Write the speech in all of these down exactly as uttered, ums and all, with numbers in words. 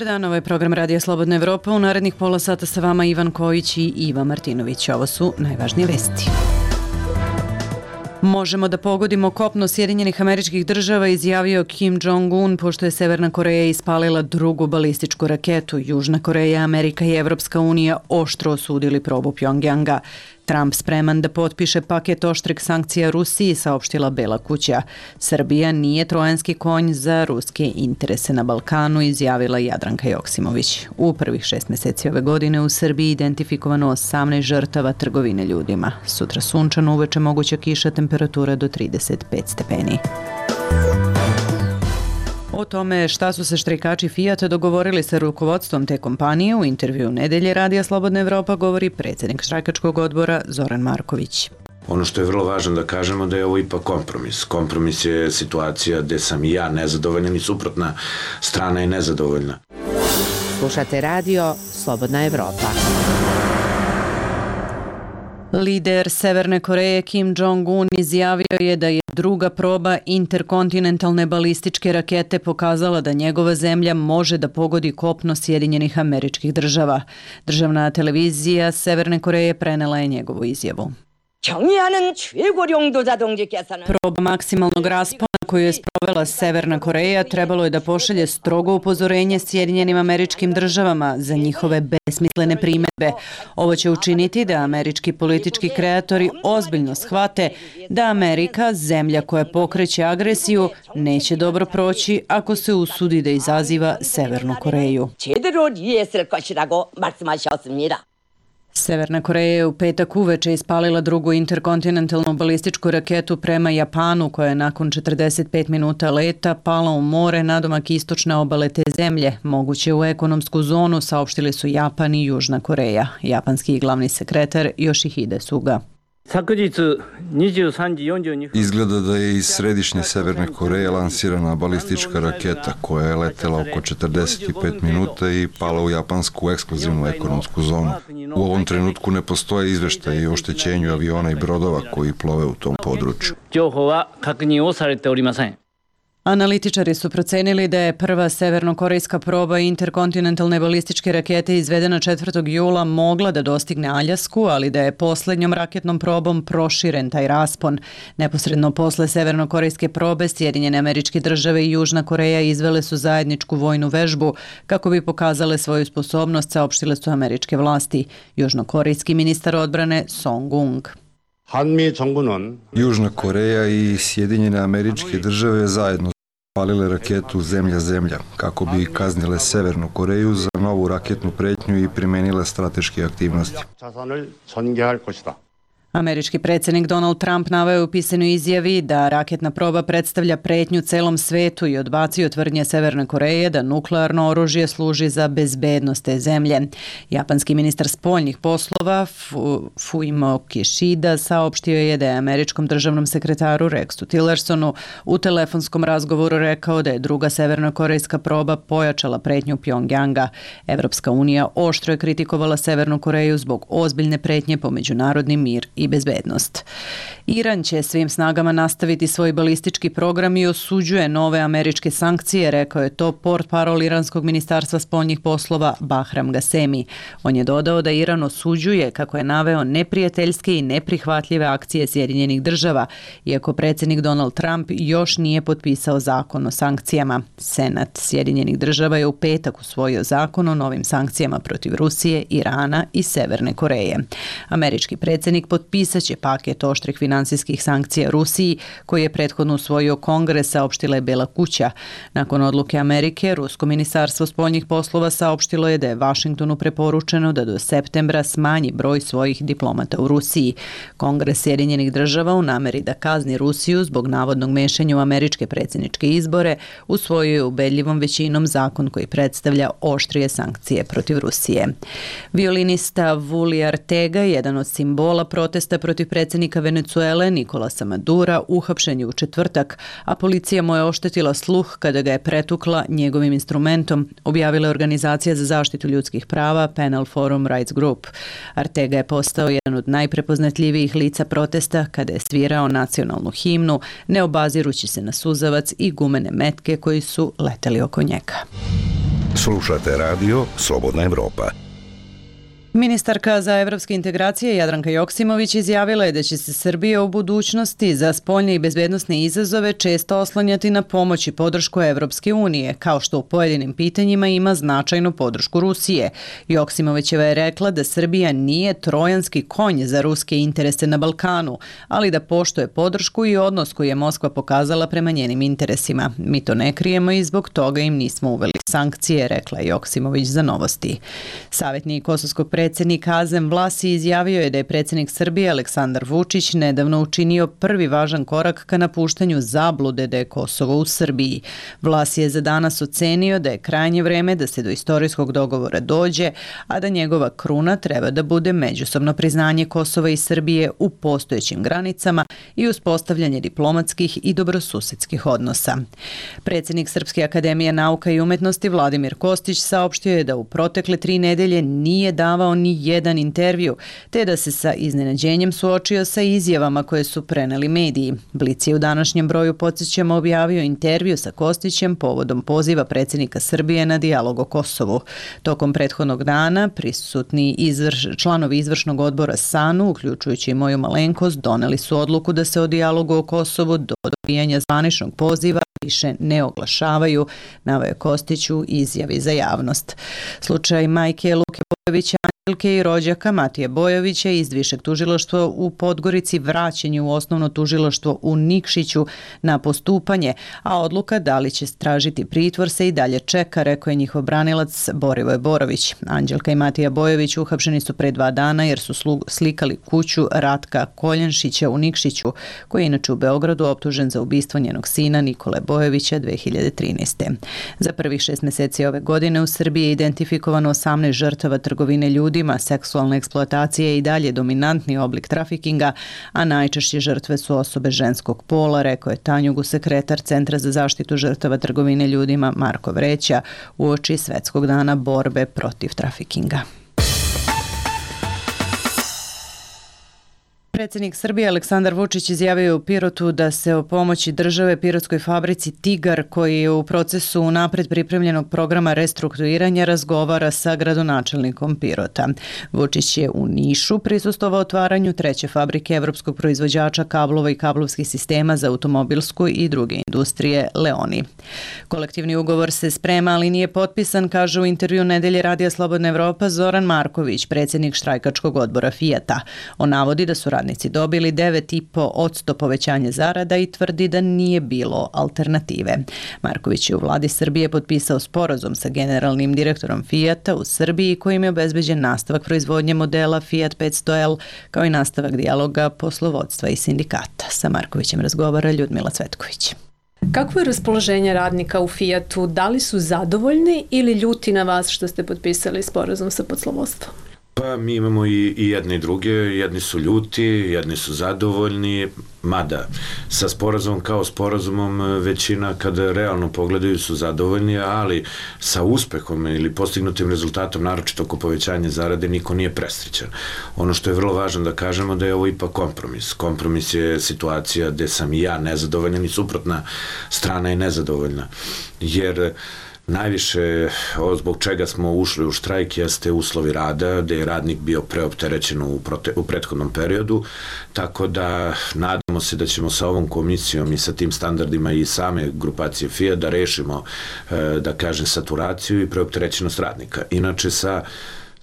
Dobar dan, ovo je program Radija Slobodna Evropa. U narednih pola sata sa vama Ivan Kojić i Iva Martinović. Ovo su najvažnije vesti. Možemo da pogodimo kopno Sjedinjenih Američkih Država, izjavio Kim Jong-un, pošto je Severna Koreja ispalila drugu balističku raketu. Južna Koreja, Amerika i Evropska unija oštro osudili probu Pjongjanga. Trump spreman da potpiše paket oštrih sankcija Rusiji, saopštila Bela kuća. Srbija nije trojanski konj za ruske interese na Balkanu, izjavila Jadranka Joksimović. U prvih šest meseci ove godine u Srbiji identifikovano osamnaest žrtava trgovine ljudima. Sutra sunčano, uveče moguća kiša, temperatura do trideset pet stepeni. O tome šta su se štrajkači Fijata dogovorili sa rukovodstvom te kompanije u intervju Nedelje Radija Slobodna Evropa govori predsjednik štrajkačkog odbora Zoran Marković. Ono što je vrlo važno da kažemo da je ovo ipak kompromis. Kompromis je situacija gde sam i ja nezadovoljan i suprotna strana je nezadovoljna. Slušate radio Slobodna Evropa. Lider Severne Koreje Kim Jong-un izjavio je da je druga proba interkontinentalne balističke rakete pokazala da njegova zemlja može da pogodi kopno Sjedinjenih Američkih Država. Državna televizija Severne Koreje prenela je njegovu izjavu. Proba maksimalnog raspona koju je sprovela Severna Koreja trebalo je da pošalje strogo upozorenje Sjedinjenim Američkim Državama za njihove besmislene primedbe. Ovo će učiniti da američki politički kreatori ozbiljno shvate da Amerika, zemlja koja pokreće agresiju, neće dobro proći ako se usudi da izaziva Severnu Koreju. Severna Koreja je u petak uveče ispalila drugu interkontinentalnu balističku raketu prema Japanu, koja je nakon četrdeset pet minuta leta pala u more nadomak istočne obale te zemlje, moguće u ekonomsku zonu, saopštili su Japan i Južna Koreja. Japanski glavni sekretar Yoshihide Suga. Izgleda da je iz središnje Severne Koreje lansirana balistička raketa koja je letela oko četrdeset pet minuta i pala u japansku ekskluzivnu ekonomsku zonu. U ovom trenutku ne postoje izveštaji o oštećenju aviona i brodova koji plove u tom području. Analitičari su procenili da je prva severnokorejska proba interkontinentalne balističke rakete izvedena četvrtog jula mogla da dostigne Aljasku, ali da je posljednjom raketnom probom proširen taj raspon. Neposredno posle severnokorejske probe Sjedinjene Američke Države i Južna Koreja izvele su zajedničku vojnu vežbu kako bi pokazale svoju sposobnost, saopštile su američke vlasti. Južnokorejski ministar odbrane Song Ung. Južna Koreja i Sjedinjene Američke Države zajedno palile raketu zemlja-zemlja kako bi kaznile Severnu Koreju za novu raketnu pretnju i primenile strateške aktivnosti. Američki predsjednik Donald Trump naveo je u pisanoj izjavi da raketna proba predstavlja pretnju celom svetu i odbacio tvrdnje Severne Koreje da nuklearno oružje služi za bezbednost te zemlje. Japanski ministar spoljnih poslova Fu, Fumio Kishida saopštio je da je američkom državnom sekretaru Rexu Tillersonu u telefonskom razgovoru rekao da je druga severnokorejska proba pojačala pretnju Pjongjanga. Evropska unija oštro je kritikovala Severnu Koreju zbog ozbiljne pretnje po međunarodni mir i bezbednost. Iran će svim snagama nastaviti svoj balistički program i osuđuje nove američke sankcije, rekao je to portparol iranskog ministarstva spoljnih poslova Bahram Gasemi. On je dodao da Iran osuđuje, kako je naveo, neprijateljske i neprihvatljive akcije Sjedinjenih Država, iako predsjednik Donald Trump još nije potpisao zakon o sankcijama. Senat Sjedinjenih Država je u petak usvojio zakon o novim sankcijama protiv Rusije, Irana i Severne Koreje. Američki predsjednik potpisao Pisat će paket oštrih finansijskih sankcija Rusiji, koji je prethodno usvojio Kongres, saopštila je Bela kuća. Nakon odluke Amerike, Rusko ministarstvo spoljnih poslova saopštilo je da je Vašingtonu preporučeno da do septembra smanji broj svojih diplomata u Rusiji. Kongres Sjedinjenih Država u nameri da kazni Rusiju zbog navodnog mešanja u američke predsjedničke izbore usvojio je ubedljivom većinom zakon koji predstavlja oštrije sankcije protiv Rusije. Violinista Vully Arteaga, jedan od simbola protesta protiv predsjednika Venecuele Nikolasa Madura, uhapšen je u četvrtak, a policija mu je oštetila sluh kada ga je pretukla njegovim instrumentom, objavila je organizacija za zaštitu ljudskih prava Panel Forum Rights Group. Arteaga je postao jedan od najprepoznatljivijih lica protesta kada je svirao nacionalnu himnu, ne obazirući se na suzavac i gumene metke koji su leteli oko njega. Slušate radio Slobodna Evropa. Ministarka za evropske integracije Jadranka Joksimović izjavila je da će se Srbija u budućnosti za spoljne i bezbednosne izazove često oslanjati na pomoć i podršku Evropske unije, kao što u pojedinim pitanjima ima značajnu podršku Rusije. Joksimovićeva je rekla da Srbija nije trojanski konj za ruske interese na Balkanu, ali da poštuje podršku i odnos koji je Moskva pokazala prema njenim interesima. Mi to ne krijemo i zbog toga im nismo uveli sankcije, rekla je Joksimović za Novosti. Savjetnik kosovskog predsjednika Azem Vlasi izjavio je da je predsjednik Srbije Aleksandar Vučić nedavno učinio prvi važan korak ka napuštanju zablude da je Kosovo u Srbiji. Vlasi je za danas ocenio da je krajnje vreme da se do istorijskog dogovora dođe, a da njegova kruna treba da bude međusobno priznanje Kosova i Srbije u postojećim granicama i uspostavljanje diplomatskih i dobrosusedskih odnosa. Predsjednik Srpske akademije nauka i umetnosti Vladimir Kostić saopštio je da u protekle tri nedelje nije davao ni jedan intervju, te da se sa iznenađenjem suočio sa izjavama koje su preneli mediji. Blic je u današnjem broju, podsjećamo, objavio intervju sa Kostićem povodom poziva predsjednika Srbije na dijalog o Kosovu. Tokom prethodnog dana prisutni izvrš, članovi izvršnog odbora SANU, uključujući i moju malenkost, doneli su odluku da se o dijalogu o Kosovu do dobijanja zvaničnog poziva više ne oglašavaju, naveo je Kostić u izjavi za javnost. Slučaj majke Luke Bojovića, Anđelke i rođaka Matije Bojovića iz Višeg tužilaštva u Podgorici vraćen je u osnovno tužilaštvo u Nikšiću na postupanje, a odluka da li će tražiti pritvor se i dalje čeka, rekao je njihov branilac Borivoje Borović. Anđelka i Matija Bojović uhapšeni su pre dva dana jer su slikali kuću Ratka Koljenšića u Nikšiću, koji je inače u Beogradu optužen za ubistvo njenog sina Nikole Bojovića dve hiljade trinaeste. Za prvih šest meseci ove godine u Srbiji je identifikovano osamnaest žrtava trgovine ljudima, seksualna eksploatacija je i dalje dominantni oblik trafikinga, a najčešće žrtve su osobe ženskog pola, rekao je Tanjugu, sekretar Centra za zaštitu žrtava trgovine ljudima Marko Vreća, uoči Svetskog dana borbe protiv trafikinga. Predsjednik Srbije Aleksandar Vučić izjavio je u Pirotu da se o pomoći države pirotskoj fabrici Tigar, koji je u procesu napred pripremljenog programa restrukturiranja, razgovara sa gradonačelnikom Pirota. Vučić je u Nišu prisustvovao otvaranju treće fabrike evropskog proizvođača kablova i kablovskih sistema za automobilsku i druge industrije Leoni. Kolektivni ugovor se sprema, ali nije potpisan, kaže u intervju Nedelje radija Slobodna Evropa Zoran Marković, predsjednik štrajkačkog odbora Fijata. On navodi da su radnici dobili devet i po posto povećanje zarada i tvrdi da nije bilo alternative. Marković je u vladi Srbije potpisao sporazum sa generalnim direktorom Fijata u Srbiji, kojim je obezbeđen nastavak proizvodnje modela Fiat petsto L, kao i nastavak dijaloga poslovodstva i sindikata. Sa Markovićem razgovara Ljudmila Cvetković. Kakvo je raspoloženje radnika u Fijatu? Da li su zadovoljni ili ljuti na vas što ste potpisali sporazum sa poslovodstvom? Pa mi imamo i, i jedni i druge, jedni su ljuti, jedni su zadovoljni, mada sa sporazumom kao sporazumom većina kada realno pogledaju su zadovoljni, ali sa uspehom ili postignutim rezultatom, naročito oko povećanja zarade, niko nije presrećan. Ono što je vrlo važno da kažemo da je ovo ipak kompromis. Kompromis je situacija gde sam i ja nezadovoljan i suprotna strana je nezadovoljna, jer najviše zbog čega smo ušli u štrajk jeste uslovi rada, gde je radnik bio preopterećen u, prote, u prethodnom periodu, tako da nadamo se da ćemo sa ovom komisijom i sa tim standardima i same grupacije Fijat da rešimo, da kažem, saturaciju i preopterećenost radnika. Inače, sa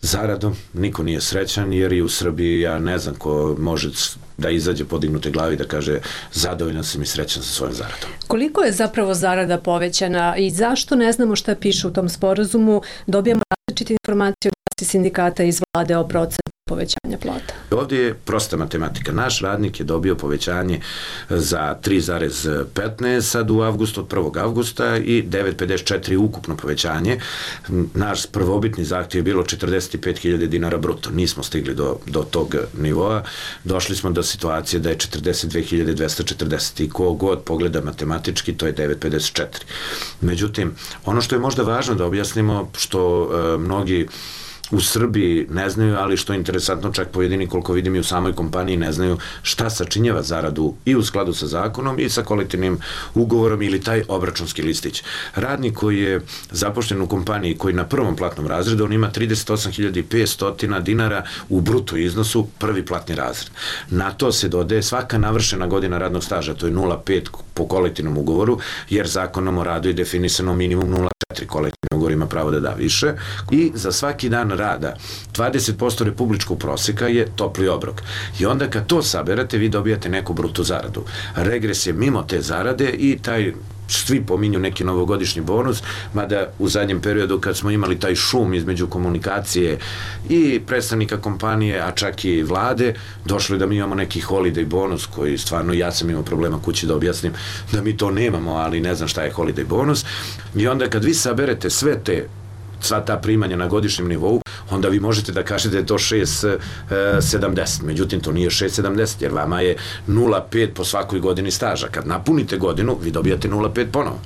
zaradom niko nije srećan, jer i u Srbiji ja ne znam ko može da izađe podignute glavi da kaže zadovoljan sam i srećan sa svojom zaradom. Koliko je zapravo zarada povećana i zašto ne znamo šta piše u tom sporazumu? Dobijamo različite informacije od sindikata iz vlade o procentu povećanja plata. Ovdje je prosta matematika. Naš radnik je dobio povećanje za tri zarez petnaest sad u avgustu, od prvog avgusta i devet zarez pedeset četiri ukupno povećanje. Naš prvobitni zahtjev je bilo četrdeset pet hiljada dinara bruto. Nismo stigli do, do tog nivoa. Došli smo do situacije da je četrdeset dve hiljade dvesta četrdeset i ko god pogleda matematički, to je devet zarez pedeset četiri. Međutim, ono što je možda važno da objasnimo, što uh, mnogi u Srbiji ne znaju, ali što je interesantno, čak pojedini, koliko vidim i u samoj kompaniji, ne znaju šta sačinjava zaradu i u skladu sa zakonom i sa kolektivnim ugovorom ili taj obračunski listić. Radnik koji je zapošljen u kompaniji, koji na prvom platnom razredu, on ima trideset osam hiljada petsto dinara u bruto iznosu, prvi platni razred. Na to se dodaje svaka navršena godina radnog staža, to je nula zarez pet po kolektivnom ugovoru, jer zakonom o radu je definisano minimum nula zarez četiri, kolektivni ugovor ima pravo da da više, i za svaki dan rada dvadeset posto republičkog proseka je topli obrok. I onda kad to saberate, vi dobijate neku bruto zaradu. Regres je mimo te zarade i taj, svi pominju neki novogodišnji bonus, mada u zadnjem periodu kad smo imali taj šum između komunikacije i predstavnika kompanije, a čak i vlade, došlo je da mi imamo neki holiday bonus koji stvarno, ja sam imao problema kući da objasnim da mi to nemamo, ali ne znam šta je holiday bonus. I onda kad vi saberete sve te, sva ta primanja na godišnjem nivou, onda vi možete da kažete da je to šest sedamdeset. Međutim, to nije šest sedamdeset, jer vama je nula zarez pet po svakoj godini staža. Kad napunite godinu, vi dobijate nula zarez pet ponovo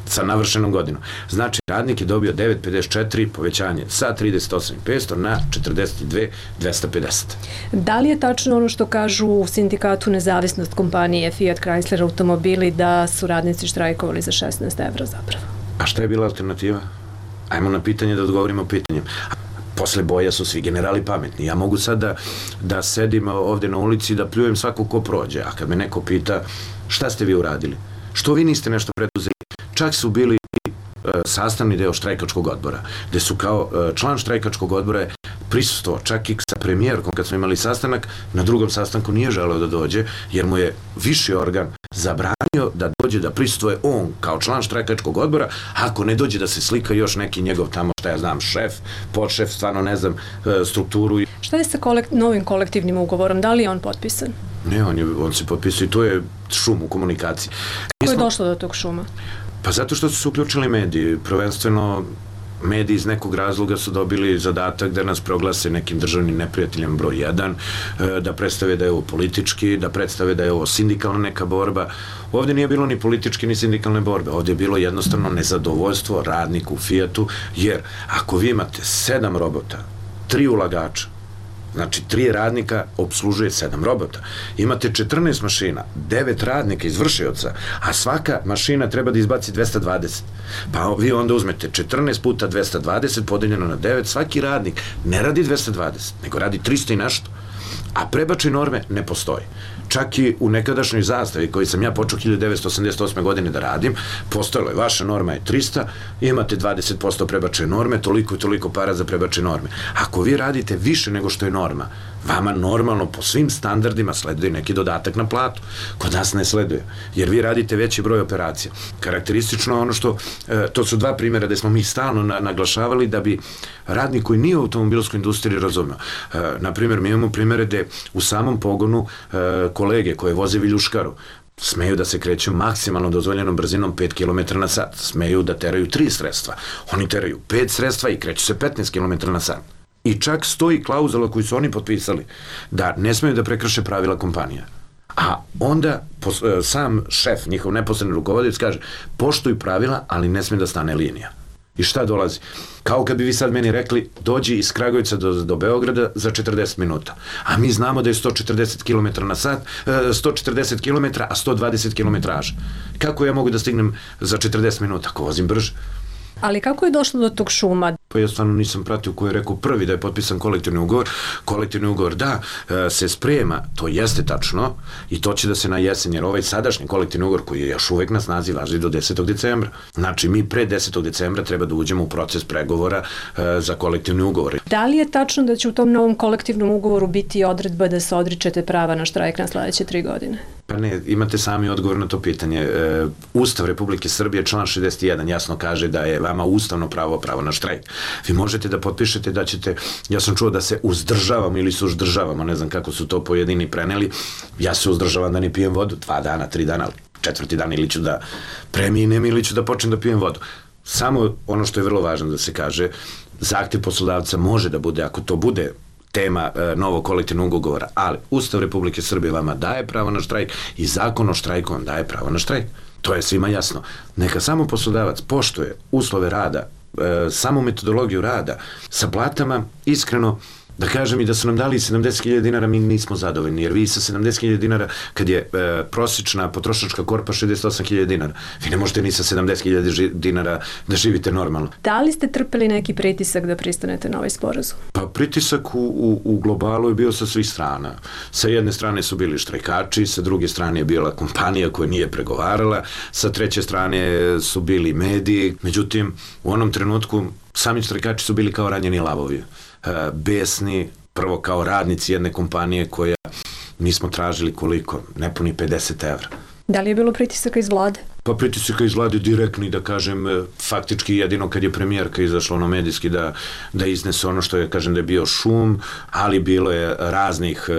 sa navršenom godinom. Znači, radnik je dobio devet zarez pedeset četiri povećanje sa trideset osam hiljada petsto na četrdeset dve hiljade dvesta pedeset. Da li je tačno ono što kažu u sindikatu Nezavisnost kompanije Fiat Chrysler automobili da su radnici štrajkovali za šesnaest evra zapravo? A šta je bila alternativa? Ajmo na pitanje da odgovorimo pitanjem. Posle boja su svi generali pametni. Ja mogu sad da, da sedim ovde na ulici i da pljujem svako ko prođe, a kad me neko pita šta ste vi uradili? Što vi niste nešto preduzeli? Čak su bili i e, sastavni deo štrajkačkog odbora, gde su kao e, član štrajkačkog odbora prisustvo, čak i sa premijerkom kad smo imali sastanak, na drugom sastanku nije želeo da dođe, jer mu je viši organ zabranio da dođe da prisustuje on kao član štrajkačkog odbora, ako ne dođe da se slika još neki njegov tamo, šta ja znam, šef, podšef, stvarno ne znam, strukturu. Šta je sa kolekt, novim kolektivnim ugovorom? Da li je on potpisan? Ne, on, je, on se potpisao i to je šum u komunikaciji. Kako je došlo do tog šuma? Pa zato što su se uključili mediji, prvenstveno mediji iz nekog razloga su dobili zadatak da nas proglase nekim državnim neprijateljem broj jedan, da predstave da je ovo politički, da predstave da je ovo sindikalna neka borba. Ovdje nije bilo ni političke ni sindikalne borbe, ovdje je bilo jednostavno nezadovoljstvo radnika u Fiatu, jer ako vi imate sedam robota, tri ulagača, znači tri radnika obslužuje sedam robota. Imate četrnaest mašina, devet radnika izvršioca, a svaka mašina treba da izbaci dvesta dvadeset. Pa vi onda uzmete četrnaest puta dvesta dvadeset podeljeno na devet, svaki radnik ne radi dvesta dvadeset, nego radi trista i nešto. A prebačaj norme ne postoji. Čak i u nekadašnjoj zastavi koji sam ja počeo hiljadu devetsto osamdeset osme godine da radim, postojalo je, vaša norma je trista, imate dvadeset posto prebačaj norme, toliko i toliko para za prebačaj norme. Ako vi radite više nego što je norma, vama normalno po svim standardima sleduje neki dodatak na platu. Kod nas ne sleduje, jer vi radite veći broj operacija. Karakteristično je ono što, e, to su dva primjera gde smo mi stalno na, naglašavali da bi radnik koji nije u automobilskoj industriji razumeo. E, naprimjer, mi imamo primjere gde u samom pogonu e, kolege koje voze viljuškaru smeju da se kreću maksimalno dozvoljenom brzinom pet kilometara na sat, smeju da teraju tri sredstva. Oni teraju pet sredstva i kreću se petnaest kilometara na sat. I čak stoji klauzula koju su oni potpisali da ne smeju da prekrše pravila kompanija. A onda sam šef, njihov neposredni rukovodilac kaže poštuj pravila, ali ne smije da stane linija. I šta dolazi? Kao kad bi vi sad meni rekli dođi iz Kragujevca do, do Beograda za četrdeset minuta. A mi znamo da je sto četrdeset kilometara na sat, sto četrdeset kilometara, a sto dvadeset kilometraža. Kako ja mogu da stignem za četrdeset minuta ako vozim brže? Ali kako je došlo do tog šuma? Pa ja stvarno nisam pratio ko je rekao prvi da je potpisan kolektivni ugovor. Kolektivni ugovor da se sprema, to jeste tačno i to će da se na jesen, jer ovaj sadašnji kolektivni ugovor koji je još uvek na snazi važi do desetog decembra. Znači mi pre desetog decembra treba da uđemo u proces pregovora za kolektivni ugovor. Da li je tačno da će u tom novom kolektivnom ugovoru biti odredba da se odričete prava na štrajk na sledeće tri godine? Pa ne, imate sami odgovor na to pitanje. Ustav Republike Srbije, član šezdeset jedan, jasno kaže da je vama ustavno pravo pravo na štrajk. Vi možete da potpišete da ćete, ja sam čuo da se uzdržavamo ili se uzdržavamo, ne znam kako su to pojedini preneli, ja se uzdržavam da ne pijem vodu, dva dana, tri dana, četvrti dan ili ću da preminem ili ću da počnem da pijem vodu. Samo ono što je vrlo važno da se kaže, zahtev poslodavca može da bude, ako to bude tema e, novog kolektivnog ugovora, ali Ustav Republike Srbije vama daje pravo na štrajk i zakon o štrajku vam daje pravo na štrajk. To je svima jasno. Neka samo poslodavac poštuje uslove rada e, samu metodologiju rada, sa platama, iskreno, da kažem i da su nam dali sedamdeset hiljada dinara, mi nismo zadovoljni, jer vi sa sedamdeset hiljada dinara, kad je e, prosječna potrošačka korpa šezdeset osam hiljada dinara, vi ne možete ni sa sedamdeset hiljada dinara da živite normalno. Da li ste trpeli neki pritisak da pristanete na ovaj sporazum? Pa pritisak u, u, u globalu je bio sa svih strana. Sa jedne strane su bili štrajkači, sa druge strane je bila kompanija koja nije pregovarala, sa treće strane su bili mediji, međutim, u onom trenutku sami štrajkači su bili kao ranjeni lavovi. Besni, prvo kao radnici jedne kompanije koja nismo tražili koliko, nepuni pedeset evra. Da li je bilo pritisaka iz vlade? Pa pritisaka iz vlade direktni, da kažem, faktički jedino kad je premijerka izašla ono medijski da, da iznese ono što je, kažem, da je bio šum, ali bilo je raznih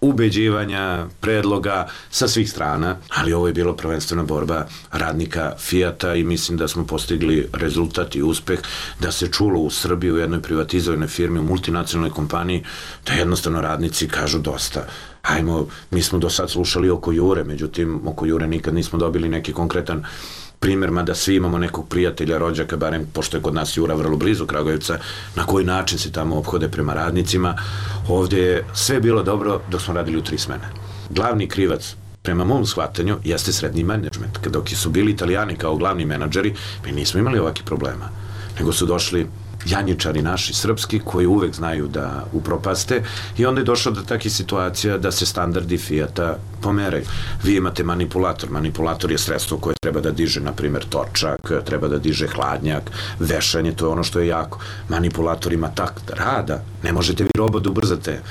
ubeđivanja, predloga sa svih strana, ali ovo je bilo prvenstvena borba radnika Fijata i mislim da smo postigli rezultat i uspeh da se čulo u Srbiji u jednoj privatizovanoj firmi, u multinacionalnoj kompaniji, da jednostavno radnici kažu dosta. Ajmo, mi smo do sad slušali oko Jure, međutim, oko Jure nikad nismo dobili neki konkretan primjer, mada svi imamo nekog prijatelja, rođaka, barem pošto je kod nas Jura vrlo blizu Kragujevca, na koji način se tamo ophode prema radnicima. Ovdje je sve bilo dobro dok smo radili u tri smene. Glavni krivac, prema mom shvatanju, jeste srednji menadžment. Dok su bili Italijani kao glavni menadžeri, mi nismo imali ovakvih problema, nego su došli janjičari naši srpski koji uvek znaju da upropaste i onda je došlo do takih situacija da se standardi Fijata pomeraju. Vi imate manipulator. Manipulator je sredstvo koje treba da diže, na primjer, točak, treba da diže hladnjak, vešanje, to je ono što je jako. Manipulator ima takt rada, ne možete vi robot da ubrzate.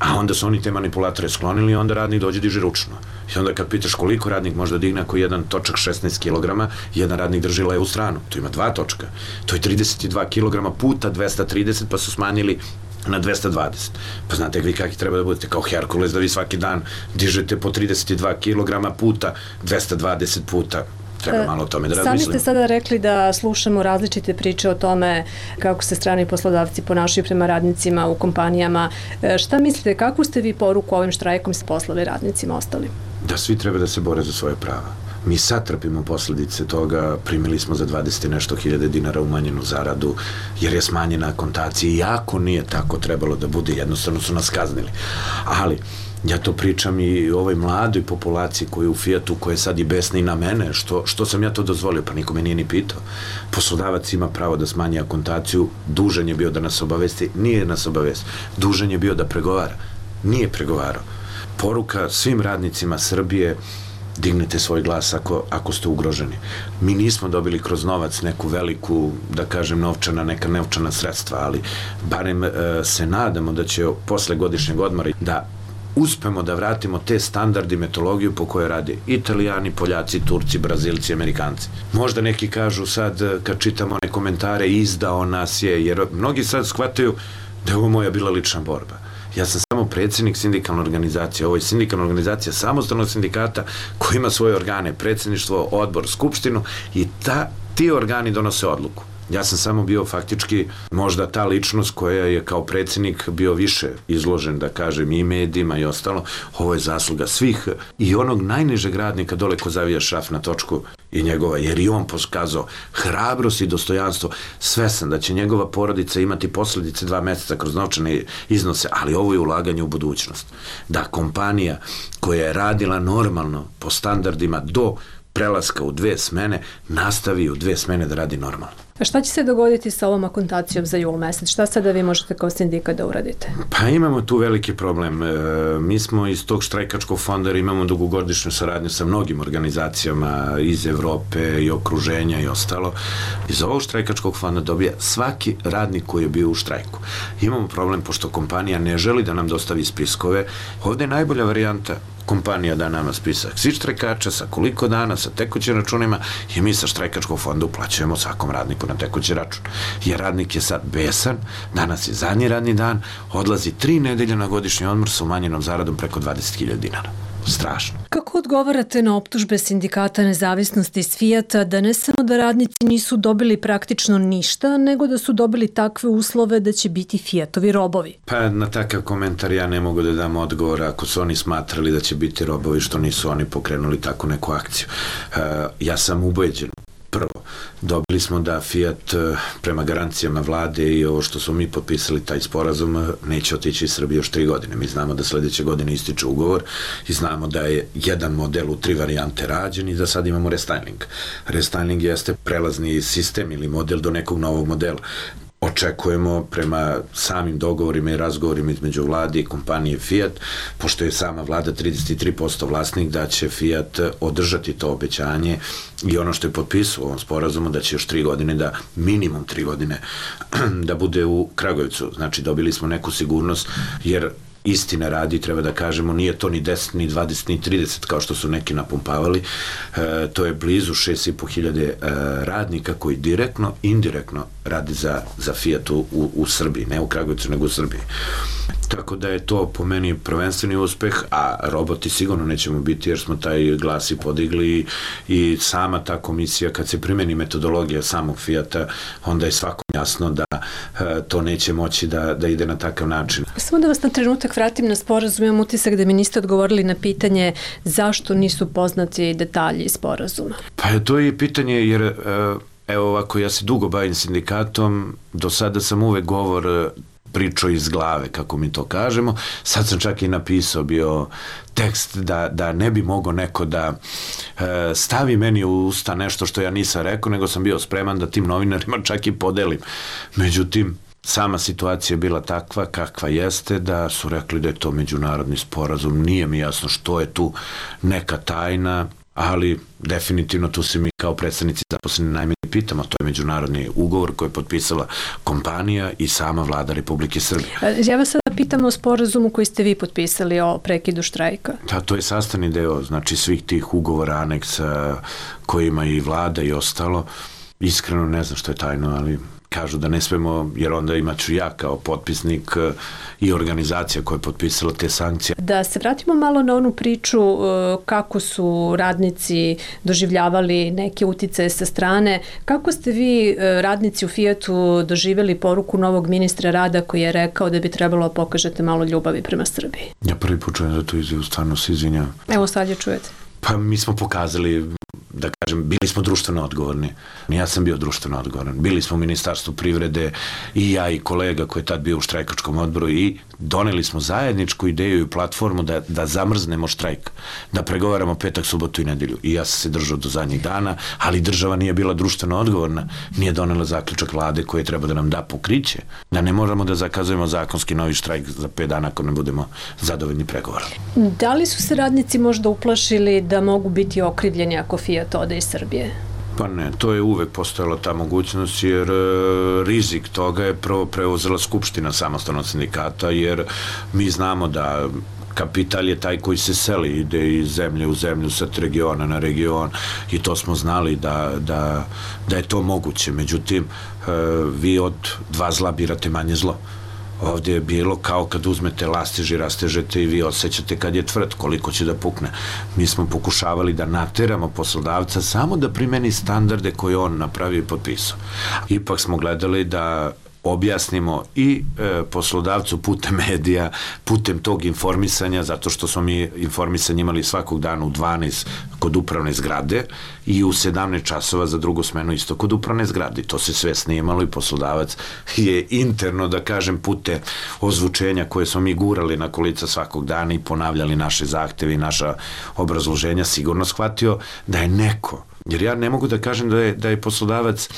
A onda su oni te manipulatore sklonili i onda radnik dođe diže ručno. I onda kad pitaš koliko radnik može da digne ako jedan točak šesnaest kilograma, jedan radnik drži levu stranu. To ima dva točka. To je trideset dva kilograma puta dvesta trideset, pa su smanjili na dvesta dvadeset. Pa znate vi kakvi treba da budete, kao Herkules, da vi svaki dan dižete po trideset dva kilograma puta dvesta dvadeset puta. Treba malo o tome da razmislimo. Sami ste sada rekli da slušamo različite priče o tome kako se strani poslodavci ponašaju prema radnicima u kompanijama. Šta mislite, kakvu ste vi poruku ovim štrajkom poslali radnicima ostali? Da svi treba da se bore za svoje prava. Mi sad trpimo posljedice toga, primili smo za dvadeset i nešto hiljade dinara umanjenu zaradu, jer je smanjena akontacija, iako nije tako trebalo da bude, jednostavno su nas kaznili. Ali, ja to pričam i o ovoj mladoj populaciji koja je u Fijatu, koja je sad i besna i na mene, što, što sam ja to dozvolio, pa niko me nije ni pitao. Poslodavac ima pravo da smanji akontaciju, dužan je bio da nas obavesti, nije nas obavesti, dužan je bio da pregovara, nije pregovarao. Poruka svim radnicima Srbije, dignite svoj glas ako, ako ste ugroženi. Mi nismo dobili kroz novac neku veliku, da kažem, novčana, neka novčana sredstva, ali barem e, se nadamo da će posle godišnjeg odmora da uspemo da vratimo te standardi, metodologiju po kojoj rade Italijani, Poljaci, Turci, Brazilci, Amerikanci. Možda neki kažu sad, kad čitamo one komentare, izdao nas je, jer mnogi sad shvataju da je ovo moja bila lična borba. Ja sam samo predsjednik sindikalne organizacije. Ovo je sindikalna organizacija samostalnog sindikata koji ima svoje organe, predsjedništvo, odbor, skupštinu i ta, ti organi donose odluku. Ja sam samo bio faktički možda ta ličnost koja je kao predsjednik bio više izložen, da kažem, i medijima i ostalo. Ovo je zasluga svih i onog najnižeg radnika dole ko zavija šraf na točku i njegova, jer i on pokazao hrabrost i dostojanstvo. Svesan da će njegova porodica imati posljedice dva mjeseca kroz novčane iznose, ali ovo je ulaganje u budućnost. Da kompanija koja je radila normalno po standardima do prelaska u dve smene, nastavi u dve smene da radi normalno. A šta će se dogoditi sa ovom akontacijom za jul mesec? Šta sada vi možete kao sindikat da uradite? Pa imamo tu veliki problem. E, mi smo iz tog štrajkačkog fonda imamo dugogodišnju saradnju sa mnogim organizacijama iz Evrope i okruženja i ostalo. Iz ovog štrajkačkog fonda dobija svaki radnik koji je bio u štrajku. Imamo problem pošto kompanija ne želi da nam dostavi spiskove. Ovdje je najbolja varijanta kompanija da nama spisak svih štrajkača sa koliko dana, sa tekućim računima i mi sa štrajkačkog fonda uplaćujemo svakom radniku na tekući račun. Jer radnik je sad besan, danas je zadnji radni dan, odlazi tri nedelje na godišnji odmor sa umanjenom zaradom preko dvadeset hiljada dinara. Strašno. Kako odgovarate na optužbe sindikata nezavisnosti iz Fijata da ne samo da radnici nisu dobili praktično ništa, nego da su dobili takve uslove da će biti Fijatovi robovi? Pa na takav komentar ja ne mogu da dam odgovor ako su oni smatrali da će biti robovi, što nisu oni pokrenuli takvu neku akciju. Uh, ja sam ubeđen Prvo, dobili smo da Fiat prema garancijama vlade i ovo što smo mi potpisali taj sporazum neće otići iz Srbije još tri godine. Mi znamo da sledeće godine ističe ugovor i znamo da je jedan model u tri varijante rađen i da sad imamo restyling. Restyling jeste prelazni sistem ili model do nekog novog modela. Očekujemo prema samim dogovorima i razgovorima između vlade i kompanije Fiat, pošto je sama vlada trideset tri posto vlasnik, da će Fiat održati to obećanje i ono što je potpisao u ovom sporazumu, da će još tri godine, da minimum tri godine, da bude u Kragujevcu. Znači, dobili smo neku sigurnost, jer istine radi, treba da kažemo, nije to ni deset, ni dvadeset, ni trideset, kao što su neki napumpavali. E, to je blizu šest i po hiljade e, radnika koji direktno, indirektno radi za, za Fiat u, u Srbiji, ne u Kragujevcu, nego u Srbiji. Tako da je to po meni prvenstveni uspeh, a roboti sigurno nećemo biti, jer smo taj glas i podigli i sama ta komisija, kad se primeni metodologija samog Fiata, onda je svakom jasno da e, to neće moći da, da ide na takav način. Samo da vas na trenutak vratim na sporazum, imam utisak da mi niste odgovorili na pitanje zašto nisu poznati detalji sporazuma. Pa to je pitanje, jer e, evo ovako, ja se dugo bavim sindikatom, do sada sam uvek govor pričao iz glave, kako mi to kažemo. Sad sam čak i napisao bio tekst da, da ne bi mogao neko da e, stavi meni u usta nešto što ja nisam rekao, nego sam bio spreman da tim novinarima čak i podelim. Međutim, sama situacija je bila takva kakva jeste, da su rekli da je to međunarodni sporazum. Nije mi jasno što je tu neka tajna, ali definitivno tu se mi kao predstavnici zaposleni najmanje pitamo. To je međunarodni ugovor koji je potpisala kompanija i sama vlada Republike Srbije. Ja vas sada pitam o sporazumu koji ste vi potpisali o prekidu štrajka. Da, to je sastavni deo, znači svih tih ugovora, aneksa kojima i vlada i ostalo. Iskreno ne znam što je tajno, ali kažu da ne smemo, jer onda imaću ja kao potpisnik i organizacija koja je potpisala te sankcije. Da se vratimo malo na onu priču kako su radnici doživljavali neke uticaje sa strane. Kako ste vi, radnici u Fiatu, doživjeli poruku novog ministra rada koji je rekao da bi trebalo pokažete malo ljubavi prema Srbiji? Ja prvi put čujem za tu izjavu, stvarno se izvinjam. Evo sad je čujete. Pa mi smo pokazali, da kažem, bili smo društveno odgovorni. Ja sam bio društveno odgovoran. Bili smo u Ministarstvu privrede i ja i kolega koji je tad bio u štrajkačkom odboru i doneli smo zajedničku ideju i platformu da, da zamrznemo štrajk, da pregovaramo petak, subotu i nedelju. I ja sam se držao do zadnjih dana, ali država nije bila društveno odgovorna, nije donela zaključak vlade koji treba da nam da pokriće, da ne moramo da zakazujemo zakonski novi štrajk za pet dana ako ne budemo zadovoljni pregovorali. Da li su se radnici možda uplašili da mogu biti okrivljeni ako Fiat ode iz Srbije? Pa ne, to je uvek postojala ta mogućnost, jer e, rizik toga je prvo preuzela Skupština samostalnog sindikata, jer mi znamo da kapital je taj koji se seli, ide iz zemlje u zemlju, sad regiona na region, i to smo znali da, da, da je to moguće. Međutim, e, vi od dva zla birate manje zlo. Ovdje je bilo kao kad uzmete lastiž i rastežete i vi osjećate kad je tvrd, koliko će da pukne. Mi smo pokušavali da nateramo poslodavca samo da primeni standarde koje on napravio i potpisao. Ipak smo gledali da objasnimo i e, poslodavcu putem medija, putem tog informisanja, zato što smo mi informisanje imali svakog dana u dvanaest kod upravne zgrade i u sedamnaest časova za drugu smenu isto kod upravne zgrade. To se sve snimalo i poslodavac je interno, da kažem, pute ozvučenja koje smo mi gurali na kolica svakog dana i ponavljali naše zahteve i naša obrazloženja, sigurno shvatio da je neko, jer ja ne mogu da kažem da je, da je poslodavac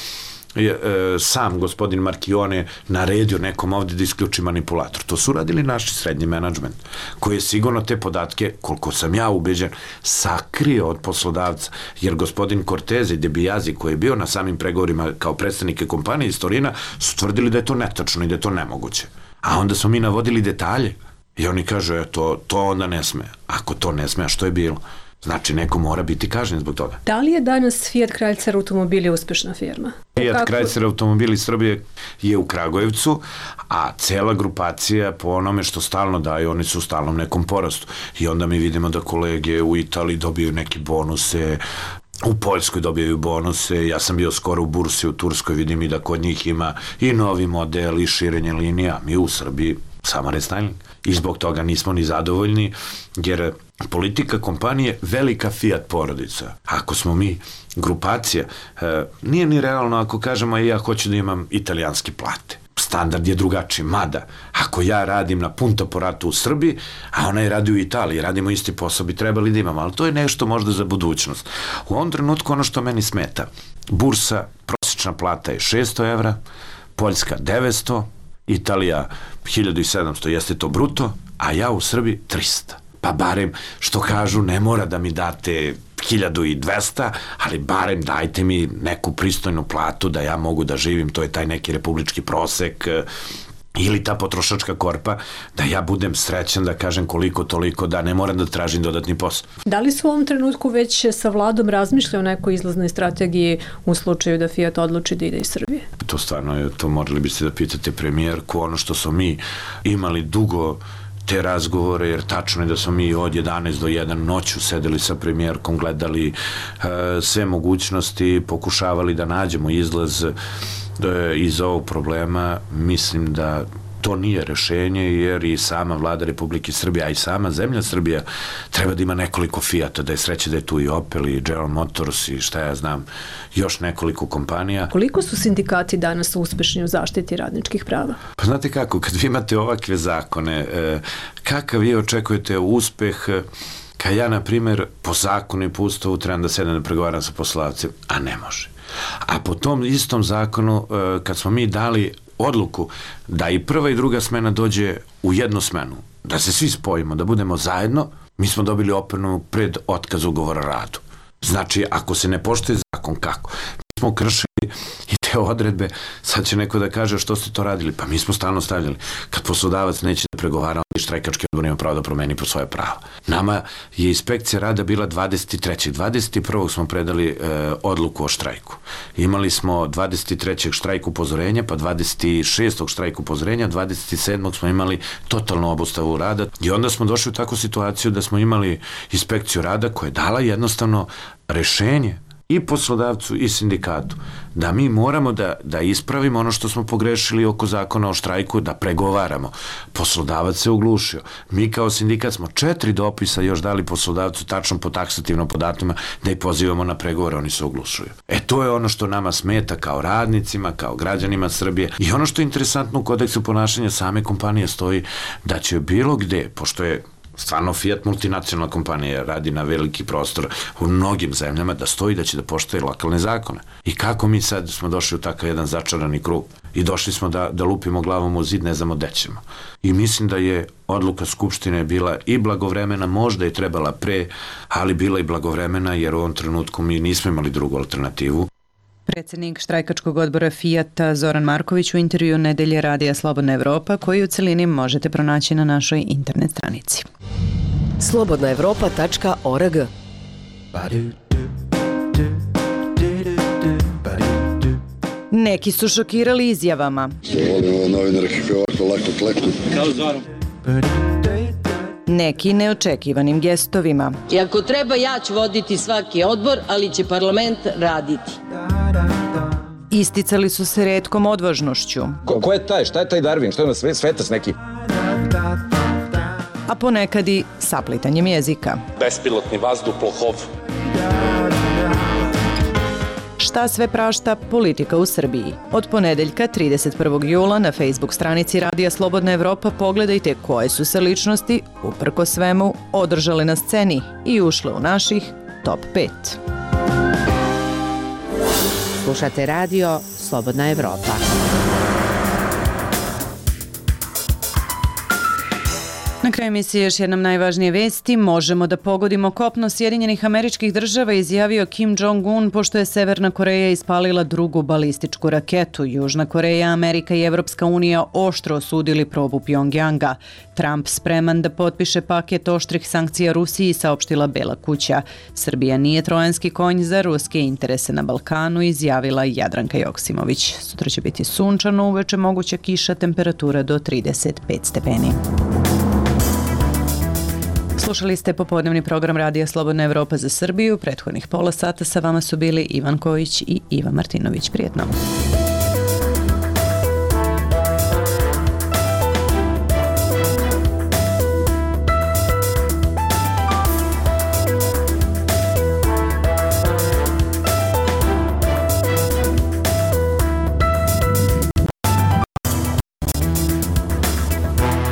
je, e, sam gospodin Marchione naredio nekom ovde da isključi manipulator. To su radili naši srednji menadžment, koji je sigurno te podatke, koliko sam ja ubeđen, sakrio od poslodavca, jer gospodin Cortese i De Biasi, koji je bio na samim pregovorima kao predstavnike kompanije iz Torina, su tvrdili da je to netačno i da je to nemoguće. A onda smo mi navodili detalje i oni kažu, e, to, to onda ne sme. Ako to ne sme, a što je bilo? Znači, neko mora biti kažnjen zbog toga. Da li je danas Fiat Chrysler automobili uspešna firma? Fiat Kako? Chrysler automobili Srbije je u Kragujevcu, a cela grupacija po onome što stalno daju, oni su u stalnom nekom porastu. I onda mi vidimo da kolege u Italiji dobiju neke bonuse, u Poljskoj dobijaju bonuse, ja sam bio skoro u bursi u Turskoj, vidim i da kod njih ima i novi model i širenje linija. Mi u Srbiji Samo restyling. I zbog toga nismo ni zadovoljni, jer politika kompanije velika Fiat porodica. Ako smo mi grupacija, e, nije ni realno ako kažemo ja hoću da imam italijanske plate. Standard je drugačiji, mada ako ja radim na Punta Poratu u Srbiji, a ona je radi u Italiji, radimo isti posao, bi trebali da imamo, ali to je nešto možda za budućnost. U ovom trenutku ono što meni smeta, bursa, prosječna plata je šesto evra, Poljska devetsto, Italija hiljadu sedamsto, jeste to bruto, a ja u Srbiji trista. Pa barem, što kažu, ne mora da mi date hiljadu dvesta, ali barem dajte mi neku pristojnu platu da ja mogu da živim, to je taj neki republički prosek ili ta potrošačka korpa, da ja budem srećan da kažem koliko toliko, da ne moram da tražim dodatni posao. Da li su u ovom trenutku već sa vladom razmišljali o nekoj izlaznoj strategiji u slučaju da Fiat odluči da ide iz Srbije? To stvarno je, to morali biste da pitate premijerku, ono što smo mi imali dugo te razgovore, jer tačno je da smo mi od jedanaest do jedan noću sedeli sa premijerkom, gledali e, sve mogućnosti, pokušavali da nađemo izlaz e, iz ovog problema. Mislim da to nije rešenje, jer i sama vlada Republike Srbije, a i sama zemlja Srbija treba da ima nekoliko Fiata, da je sreće da je tu i Opel i General Motors i šta ja znam, još nekoliko kompanija. Koliko su sindikati danas uspešni u zaštiti radničkih prava? Pa znate kako, kad vi imate ovakve zakone, kakav vi očekujete uspeh, kad ja, na primjer, po zakonu i po ustavu trebam da sedem da pregovaram sa poslodavcem, a ne može. A po tom istom zakonu, kad smo mi dali odluku da i prva i druga smena dođe u jednu smenu, da se svi spojimo, da budemo zajedno, mi smo dobili opomenu pred otkaz ugovora o radu. Znači, ako se ne poštuje zakon, kako? Mi smo kršili i te odredbe, sad će neko da kaže što ste to radili, pa mi smo stalno stavljali. Kad poslodavac neće da pregovara, štrajkački odbor ima pravo da promeni po svoje pravo. Nama je inspekcija rada bila dvadeset trećeg dvadeset prvog smo predali e, odluku o štrajku. Imali smo dvadeset trećeg štrajku upozorenja, pa dvadeset šestog štrajku upozorenja, dvadeset sedmog smo imali totalnu obustavu rada i onda smo došli u takvu situaciju da smo imali inspekciju rada koja je dala jednostavno rešenje i poslodavcu i sindikatu, da mi moramo da, da ispravimo ono što smo pogrešili oko zakona o štrajku, da pregovaramo. Poslodavac se oglušio. Mi kao sindikat smo četiri dopisa još dali poslodavcu tačno po taksativnom podatima da ih pozivamo na pregovore, oni se oglušuju. E to je ono što nama smeta kao radnicima, kao građanima Srbije. I ono što je interesantno u kodeksu ponašanja same kompanije stoji da će bilo gde, pošto je stvarno Fiat multinacionalna kompanija, radi na veliki prostor u mnogim zemljama, da stoji da će da poštuje lokalne zakone. I kako mi sad smo došli u takav jedan začarani krug i došli smo da, da lupimo glavom u zid, ne znamo gde ćemo. I mislim da je odluka Skupštine bila i blagovremena, možda je trebala pre, ali bila i blagovremena, jer u ovom trenutku mi nismo imali drugu alternativu. Predsednik štrajkačkog odbora Fijata Zoran Marković u intervju Nedelje radija Slobodna Evropa, koji u celini možete pronaći na našoj internet stranici. slobodna evropa tačka org. Neki su šokirali izjavama. Volim novinare kako ovako lako kleku. Kao Zoran. Neki neočekivanim gestovima. I ako treba, ja ću voditi svaki odbor, ali će parlament raditi. Isticali su se retkom odvažnošću. Ko, ko je taj? Šta je taj Darwin? Šta je ono svetac neki? A ponekad i saplitanjem jezika. Bespilotni vazduhoplov. Šta sve prašta politika u Srbiji? Od ponedeljka trideset prvog jula na Facebook stranici Radija Slobodna Evropa pogledajte koje su se ličnosti, uprko svemu, održale na sceni i ušle u naših top pet. Slušate radio Slobodna Evropa. Na kraju emisije još jednom najvažnije vesti. Možemo da pogodimo kopno Sjedinjenih Američkih Država, izjavio Kim Jong-un, pošto je Severna Koreja ispalila drugu balističku raketu. Južna Koreja, Amerika i Evropska unija oštro osudili probu Pjongjanga. Trump spreman da potpiše paket oštrih sankcija Rusiji, saopštila Bela kuća. Srbija nije trojanski konj za ruske interese na Balkanu, izjavila Jadranka Joksimović. Sutra će biti sunčano, uveče moguća kiša, temperatura do trideset pet stepeni. Slušali ste popodnevni program Radija Slobodna Evropa za Srbiju. Prethodnih pola sata sa vama su bili Ivan Kojić i Iva Martinović. Prijetno.